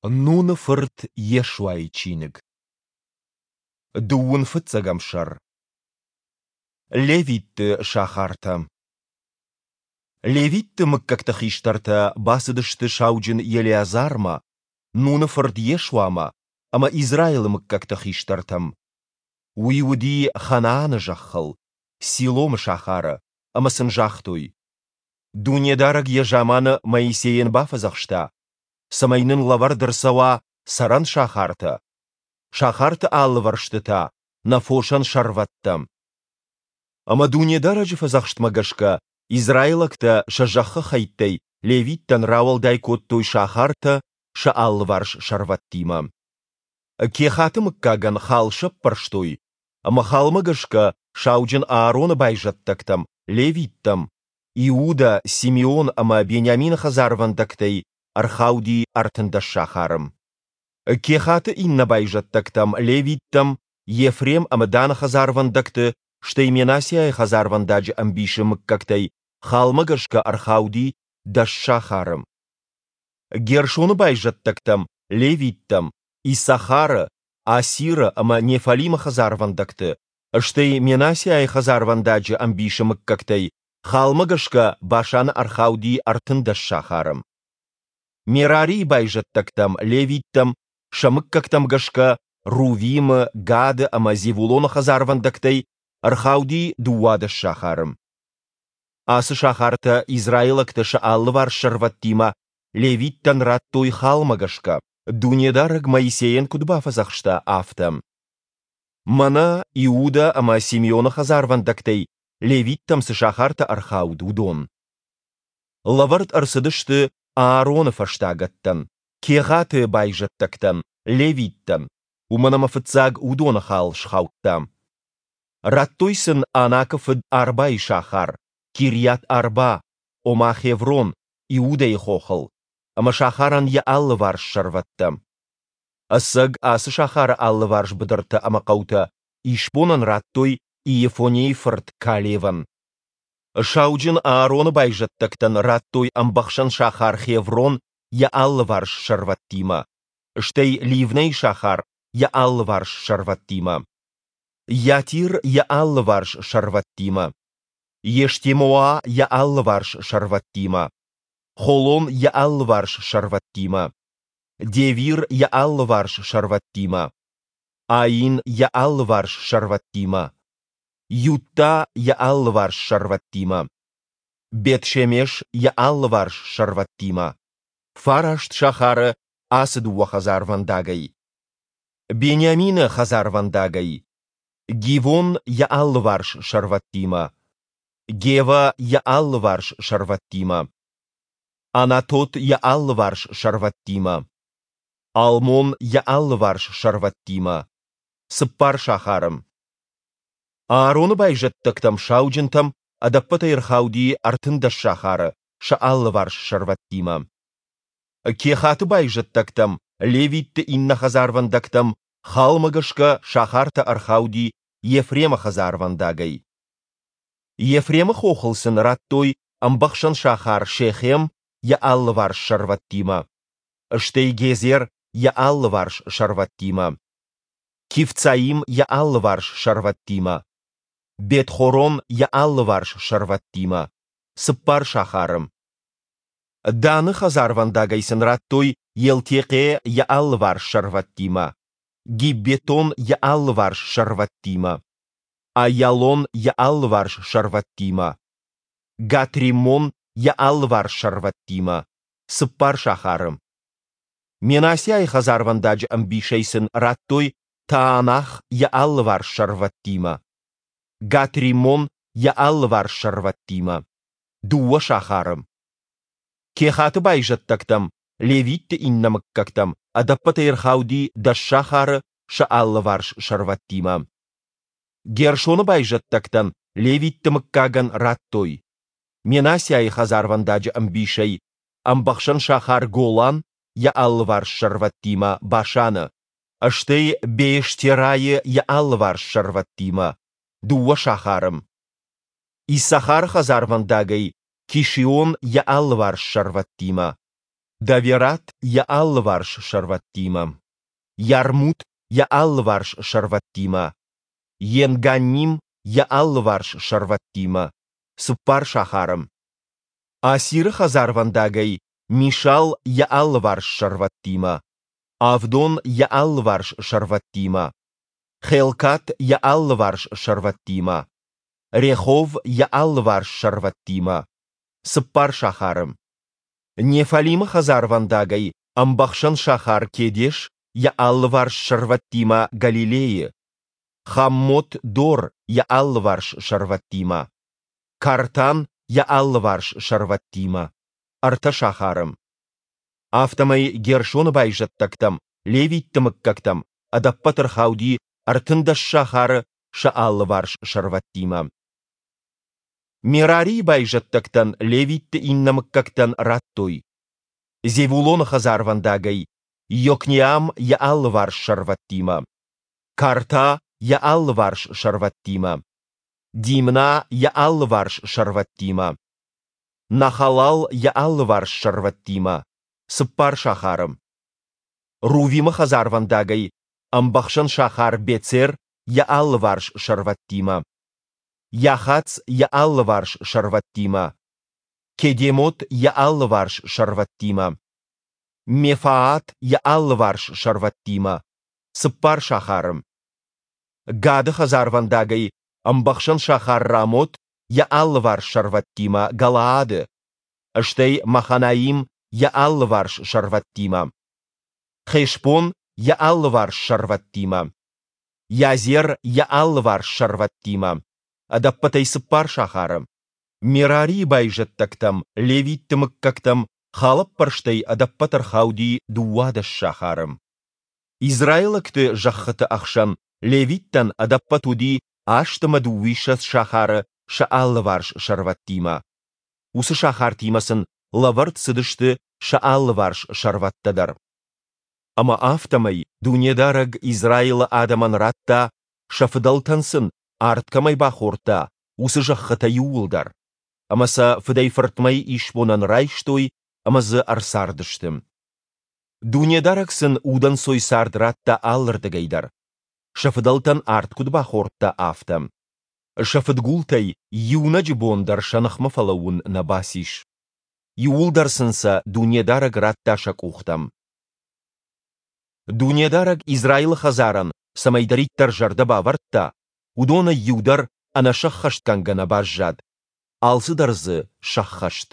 Нуны фырт Йешуайы чиныг. Дыууын фыццӕгӕм сӕр. Левитты сахартӕ. Левитты мыггӕгты хистӕртӕ бацыдысты сауджын Елеазармӕ, Нуны фырт Йешуамӕ ӕмӕ Израилы мыггӕгты хистӕртӕм. Уый уыди Ханааны зӕххыл, Силомы сахары, ӕмӕ сын загътой: Дунедарӕг йӕ заманы Моисейӕн бафӕдзӕхста, цӕмӕй нын лӕвӕрд ӕрцӕуа цӕрӕн сахартӕ, сахарты алывӕрсты та нӕ фосӕн сӕрвӕттӕ. Ӕмӕ Дунедарӕджы фӕдзӕхстмӕ гӕсгӕ израилӕгтӕ сӕ зӕххы хӕйттӕй левиттӕн рауӕлдай кодтой сахартӕ сӕ алыварс сӕрвӕттимӕ. Кехаты мыггагӕн хал сӕппӕрстой, ӕмӕ халмӕ гӕсгӕ сауджын Аароны байзӕддӕгтӕм, левиттӕм, Иудӕ, Симеон ӕмӕ Бениамины хӕдзарвӕндӕгтӕй ӕрхауди 13 сахары. Кехаты иннӕ байзӕддӕгтӕм, левиттӕм, Ефрем ӕмӕ Даны хӕдзарвӕндӕгты, стӕй Менассиайы хӕдзарвӕндаджы ӕмбисы мыггӕгтӕй халмӕ гӕсгӕ ӕрхауди 10 сахары. Гершоны байзӕддӕгтӕм, левиттӕм, Иссахары, Асиры ӕмӕ Неффалимы хӕдзарвӕндӕгты, стӕй Менассиайы хӕдзарвӕндаджы ӕмбисы мыггӕгтӕй халмӕ гӕсгӕ Башаны ӕрхауди 13 сахары. Мерарийы байзӕддӕгтӕм, левиттӕм, сӕ мыггӕгтӕм гӕсгӕ Рувимы, Гады ӕмӕ Зевулоны хӕдзарвӕндӕгтӕй ӕрхауди 12 сахары. Ацы сахартӕ израилӕгтӕ сӕ алыварс сӕрвӕттимӕ левиттӕн радтой халмӕ гӕсгӕ, Дунедарӕг Моисейӕн куыд бафӕдзӕхста, афтӕ. Мӕнӕ Иудӕ ӕмӕ Симеоны хӕдзарвӕндӕгтӕй левиттӕм цы сахартӕ ӕрхауд, уыдон. Лӕвӕрд ӕрцыдысты Аароны фӕстагӕттӕн, Кегъаты байзӕддӕгтӕн, левиттӕн, уымӕн ӕмӕ фыццаг уыдоны хал схаудта. Радтой сын Анакы фыд Арбайы сахар, Кирйат-Арба, ома Хеврон, Иудӕйы хохыл, ӕмӕ сахарӕн йӕ алыварс сӕрвӕттӕ. Ӕцӕг ацы сахары алыварс быдыртӕ ӕмӕ хъӕутӕ исбонӕн радтой Иефонейы фырт Калевӕн. Сауджын Аароны байзӕддӕгтӕн радтой ӕмбӕхсӕн сахар Хеврон йӕ алыварс сӕрвӕттимӕ, стӕй Ливнӕйы сахар йӕ алыварс сӕрвӕттимӕ, Йатир йӕ алыварс сӕрвӕттимӕ, Ештемоа йӕ алыварс сӕрвӕттимӕ, Холон йӕ алыварс сӕрвӕттимӕ, Девир йӕ алыварс сӕрвӕттимӕ, Аин йӕ алыварс сӕрвӕттимӕ, Ютта йӕ алыварс сӕрвӕттимӕ, Бет-Шемеш йӕ алыварс сӕрвӕттимӕ, фараст сахары ацы дыууӕ хӕдзарвӕндагӕй. Бениамины хӕдзарвӕндагӕй, Гивон йӕ алыварс сӕрвӕттимӕ, Гева йӕ алыварс сӕрвӕттимӕ, Анатот йӕ алыварс сӕрвӕттимӕ, Алмон йӕ алыварс сӕрвӕттимӕ, цыппар сахары. Аароны байзӕддӕгтӕм сауджынтӕм ӕдӕппӕтӕй ӕрхауди 13 сахары сӕ алыварс сӕрвӕттимӕ. Кехаты байзӕддӕгтӕм, левитты иннӕ хӕдзарвӕндӕгтӕм халмӕ гӕсгӕ сахартӕ ӕрхауди Ефремы хӕдзарвӕндагӕй. Ефремы хохыл сын радтой ӕмбӕхсӕн сахар Шехем йӕ алыварс сӕрвӕттимӕ, стӕй Гезер йӕ алыварс сӕрвӕттимӕ, Кивцаим йӕ алыварс сӕрвӕттимӕ, Бет-Хорон йӕ алыварс сӕрвӕттимӕ, цыппар сахары. Даны хӕдзарвӕндагӕй сын радтой Елтехъе йӕ алыварс сӕрвӕттимӕ, Гиббетон йӕ алыварс сӕрвӕттимӕ, Аиалон йӕ алыварс сӕрвӕттимӕ, Гат-Риммон йӕ алыварс сӕрвӕттимӕ, цыппар сахары. Менассиайы хӕдзарвӕндаджы ӕмбисӕй сын радтой Таанах йӕ алыварс сӕрвӕттимӕ, Гат-Риммон йӕ алыварс сӕрвӕттимӕ, дыууӕ сахары. Кехаты байзӕддӕгтӕм, левитты иннӕ мыггӕгтӕм ӕдӕппӕтӕй ӕрхауди 10 сахары сӕ алыварс сӕрвӕттимӕ. Гершоны байзӕддӕгтӕн левитты мыггагӕн радтой Менассиайы хӕдзарвӕндаджы ӕмбисӕй ӕмбӕхсӕн сахар Голан йӕ алыварс сӕрвӕттимӕ Башаны, стӕй Беэштерайы йӕ алыварс сӕрвӕттимӕ, дыууӕ сахары. Иссахары хӕдзарвӕндагӕй Кишион йӕ алыварс сӕрвӕттимӕ. Даверат йӕ алыварс сӕрвӕттимӕ, Ярмут йӕ алыварс сӕрвӕттимӕ, Енганним йӕ алыварс сӕрвӕттимӕ, цыппар сахары. Асиры хӕдзарвӕндагӕй Мишал йӕ алыварс сӕрвӕттимӕ, Авдон йӕ алыварс сӕрвӕттимӕ, Хелкат йӕ алыварс сӕрвӕттимӕ, Рехов йӕ алыварс сӕрвӕттимӕ, цыппар сахары. Неффалимы хӕдзарвӕндагӕй ӕмбӕхсӕн сахар Кедеш йӕ алыварс сӕрвӕттимӕ Галилейы, Хаммот-Дор йӕ алыварс сӕрвӕттимӕ, Картан йӕ алыварс сӕрвӕттимӕ, ӕртӕ сахары. Афтӕмӕй Гершоны байзӕддӕгтӕм, левитты мыггӕгтӕм, ӕдӕппӕт ӕрхауди 13 сахары сӕ алыварс сӕрвӕттимӕ. Мерарийы байзӕддӕгтӕн левитты иннӕ мыггӕгтӕн радтой: Зевулоны хӕдзарвӕндагӕй Йокнеам йӕ алыварс сӕрвӕттимӕ, Карта йӕ алыварс сӕрвӕттимӕ, Димна йӕ алыварс сӕрвӕттимӕ, Нахалал йӕ алыварс сӕрвӕттимӕ, цыппар сахары. Рувимы хӕдзарвӕндагӕй ӕмбӕхсӕн сахар Бецер йӕ алыварс сӕрвӕттимӕ, Йахац йӕ алыварс сӕрвӕттимӕ, Кедемот йӕ алыварс сӕрвӕттимӕ, Мефаат йӕ алыварс сӕрвӕттимӕ, цыппар сахары. Гады хӕдзарвӕндагӕй ӕмбӕхсӕн сахар Рамот йӕ алыварс сӕрвӕттимӕ Галаады, стӕй Маханаим йӕ алыварс сӕрвӕттимӕ, Хешбон йӕ алыварс сӕрвӕттимӕ, Язер йӕ алыварс сӕрвӕттимӕ, ӕдӕппӕтӕй цыппар сахары. Мерарийы байзӕддӕгтӕм, левитты мыггӕгтӕм, халӕппӕрстӕй ӕдӕппӕт ӕрхауди 12 сахары. Израилӕгты зӕххыты ӕхсӕн левиттӕн ӕдӕппӕт уыди 28 сахары сӕ алыварс сӕрвӕттимӕ. Уыцы сахартимӕ сын лӕвӕрд цыдысты сӕ алыварс сӕрвӕттӕ дӕр. Ӕмӕ афтӕмӕй Дунедарӕг Израилы адӕмӕн радта, сӕ фыдӕлтӕн сын ард кӕмӕй бахордта, уыцы зӕххытӕ иууылдӕр, ӕмӕ сӕ фыдӕй-фыртмӕ исбонӕн райстой ӕмӕ дзы ӕрцардысты. Дунедарӕг сын удӕнцой цард радта алырдыгӕй дӕр, сӕ фыдӕлтӕн ард куыд бахордта, афтӕ. Сӕ фыдгултӕй иунӕджы бон дӕр сӕ ныхмӕ фӕлӕууын нӕ бацис. Иууылдӕр сын сӕ Дунедарӕг радта сӕ къухтӕм. Дунедарӕг Израилы хӕдзарӕн цӕмӕйдӕриддӕр зӕрдӕ бавӕрдта, уыдонӕй иу дӕр ӕнӕсӕххӕстгӕнгӕ нӕ баззад, алцыдӕр дзы сӕххӕст.